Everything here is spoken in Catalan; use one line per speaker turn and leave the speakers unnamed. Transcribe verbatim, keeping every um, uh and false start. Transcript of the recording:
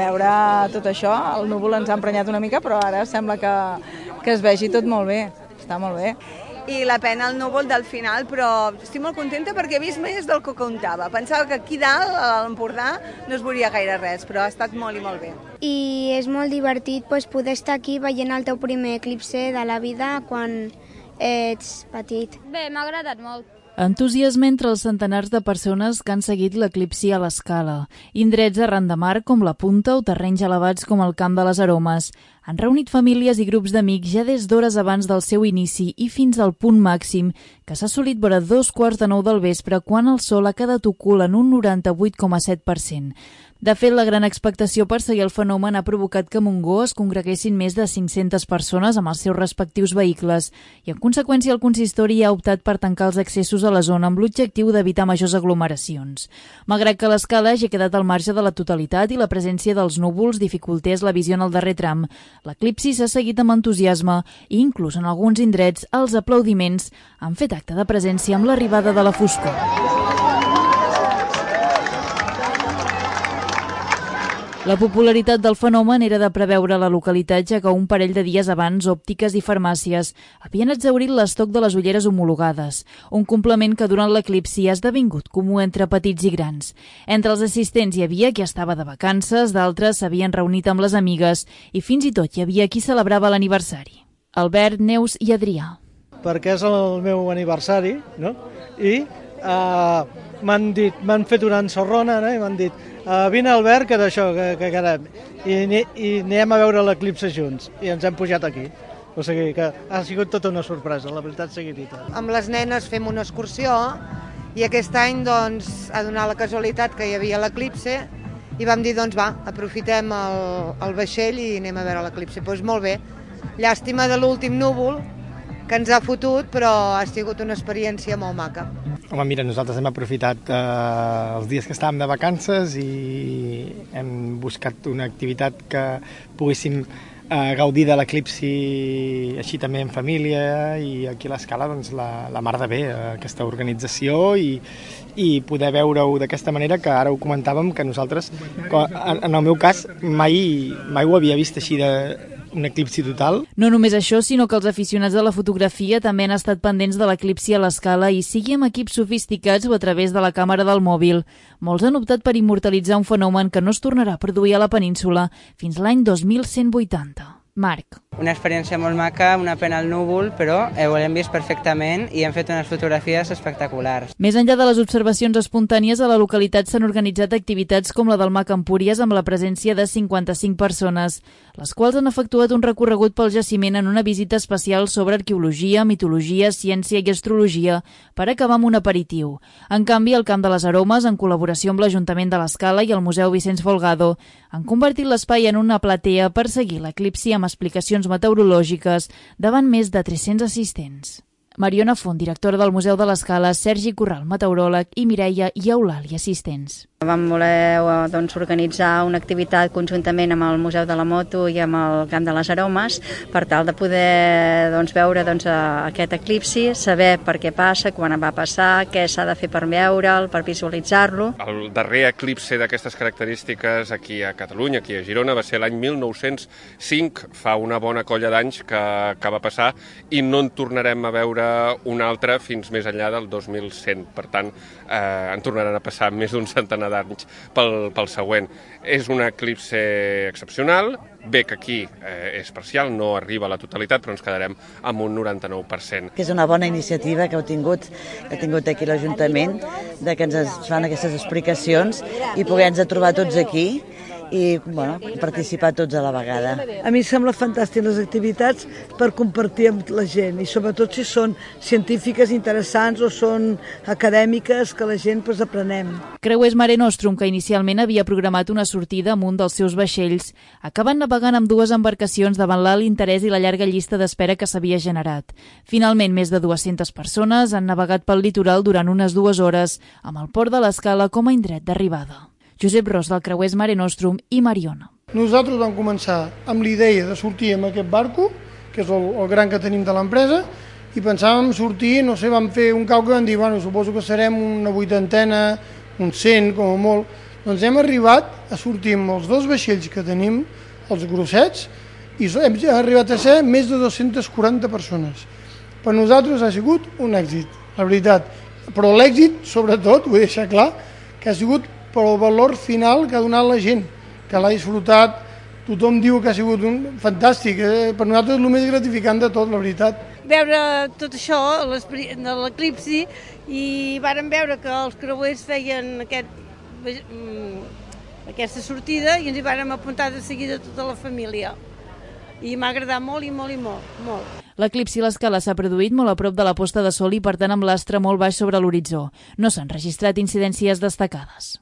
veure tot això. El núvol ens ha emprenyat una mica, però ara sembla que, que es vegi tot molt bé. Està molt bé.
I la pena el núvol del final, però estic molt contenta perquè he vist més del que comptava. Pensava que aquí dalt, a l'Empordà, no es veuria gaire res, però ha estat molt i molt bé.
I és molt divertit pues, poder estar aquí veient el teu primer eclipse de la vida quan ets petit.
Bé, m'ha agradat molt.
Entusiasme entre els centenars de persones que han seguit l'eclipsi a l'Escala. Indrets arran de mar com la Punta o terrenys elevats com el Camp de les Aromes. Han reunit famílies i grups d'amics ja des d'hores abans del seu inici i fins al punt màxim, que s'ha assolit vora dos quarts de nou del vespre quan el sol ha quedat ocult en un noranta-vuit coma set per cent. De fet, la gran expectació per seguir el fenomen ha provocat que a Montgó es congreguessin més de cinc-centes persones amb els seus respectius vehicles i, en conseqüència, el consistori ha optat per tancar els accessos a la zona amb l'objectiu d'evitar majors aglomeracions. Malgrat que l'escala hagi quedat al marge de la totalitat i la presència dels núvols dificultés la visió en el darrer tram, l'eclipsi s'ha seguit amb entusiasme i, inclús en alguns indrets, els aplaudiments han fet acte de presència amb l'arribada de la foscor. La popularitat del fenomen era de preveure a la localitat, ja que un parell de dies abans òptiques i farmàcies havien exhaurit l'estoc de les ulleres homologades, un complement que durant l'eclipsi ha esdevingut comú entre petits i grans. Entre els assistents hi havia qui estava de vacances, d'altres s'havien reunit amb les amigues i fins i tot hi havia qui celebrava l'aniversari. Albert, Neus i Adrià.
Perquè és el meu aniversari, no? I uh, m'han dit, m'han fet una ensorrona, no? I m'han dit Uh, vine Albert, que d'això, que, que quedem, i, i anem a veure l'eclipse junts, i ens hem pujat aquí. O sigui que ha sigut tota una sorpresa, la veritat sigui dita.
Amb les nenes fem una excursió i aquest any doncs, ha donat la casualitat que hi havia l'eclipse i vam dir, doncs va, aprofitem el, el vaixell i anem a veure l'eclipse. Doncs molt bé, llàstima de l'últim núvol que ens ha fotut, però ha sigut una experiència molt maca.
Home, mira, nosaltres hem aprofitat eh, els dies que estàvem de vacances i hem buscat una activitat que poguéssim eh, gaudir de l'eclipsi així també en família i aquí a l'Escala doncs, la, la mar de bé, aquesta organització i, i poder veure-ho d'aquesta manera que ara ho comentàvem que nosaltres, en el meu cas, mai, mai ho havia vist així de un eclipsi total.
No només això, sinó que els aficionats de la fotografia també han estat pendents de l'eclipsi a l'Escala i sigui amb equips sofisticats o a través de la càmera del mòbil. Molts han optat per immortalitzar un fenomen que no es tornarà a produir a la península fins l'any dos mil cent vuitanta. Marc.
Una experiència molt maca, una pena al núvol, però ho hem vist perfectament i hem fet unes fotografies espectaculars.
Més enllà de les observacions espontànies, a la localitat s'han organitzat activitats com la del Mag Empúries amb la presència de cinquanta-cinc persones, les quals han efectuat un recorregut pel jaciment en una visita especial sobre arqueologia, mitologia, ciència i astrologia, per acabar amb un aperitiu. En canvi, el Camp de les Aromes, en col·laboració amb l'Ajuntament de l'Escala i el Museu Vicenç Folgado, han convertit l'espai en una platea per seguir l'eclipsi amb explicacions meteorològiques davant més de tres-cents assistents. Mariona Font, directora del Museu de l'Escala, Sergi Corral, meteoròleg, i Mireia i Eulàlia, assistents.
Vam voler doncs, organitzar una activitat conjuntament amb el Museu de la Moto i amb el Camp de les Aromes per tal de poder doncs, veure doncs, aquest eclipsi, saber per què passa, quan va passar, què s'ha de fer per veure'l, per visualitzar-lo.
El darrer eclipsi d'aquestes característiques aquí a Catalunya, aquí a Girona, va ser l'any mil nou-cents cinc, fa una bona colla d'anys que, que va passar i no en tornarem a veure un altre fins més enllà del dos mil cent. Per tant, eh, en tornaran a passar més d'un centenar d'anys pel, pel següent. És un eclipse excepcional, bé que aquí eh, és parcial, no arriba a la totalitat, però ens quedarem amb un noranta-nou per cent.
Que és una bona iniciativa que heu tingut, que ha tingut aquí l'Ajuntament, de que ens fan aquestes explicacions i poder-nos trobar tots aquí i bueno, participar tots a la vegada.
A mi em sembla fantàstic les activitats per compartir amb la gent i sobretot si són científiques interessants o són acadèmiques que la gent pues, aprenem.
Creuers Mare Nostrum, que inicialment havia programat una sortida amb un dels seus vaixells, acaben navegant amb dues embarcacions davant l'alt interès i la llarga llista d'espera que s'havia generat. Finalment, més de dues-centes persones han navegat pel litoral durant unes dues hores, amb el port de l'Escala com a indret d'arribada. Josep Ros, del Creuers Mare Nostrum, i Mariona.
Nosaltres vam començar amb l'idea de sortir amb aquest barco, que és el, el gran que tenim de l'empresa, i pensàvem sortir, no sé, vam fer un càlcul i vam dir, bueno, suposo que serem una vuitantena, un cent, com a molt, Doncs hem arribat a sortir amb els dos vaixells que tenim, els grossets, i hem arribat a ser més de dues-centes quaranta persones. Per nosaltres ha sigut un èxit, la veritat. Però l'èxit, sobretot, vull deixar clar, que ha sigut pel valor final que ha donat la gent, que l'ha disfrutat, tothom diu que ha sigut un fantàstic, eh? Per nosaltres és el més gratificant de tot, la veritat.
Veure tot això de l'eclipsi i vàrem veure que els creuers feien aquest, aquesta sortida i ens hi vàrem apuntar de seguida tota la família. I m'ha agradat molt i molt i molt, molt.
L'eclipsi a l'escala s'ha produït molt a prop de la posta de sol i per tant amb l'astre molt baix sobre l'horitzó. No s'han registrat incidències destacades.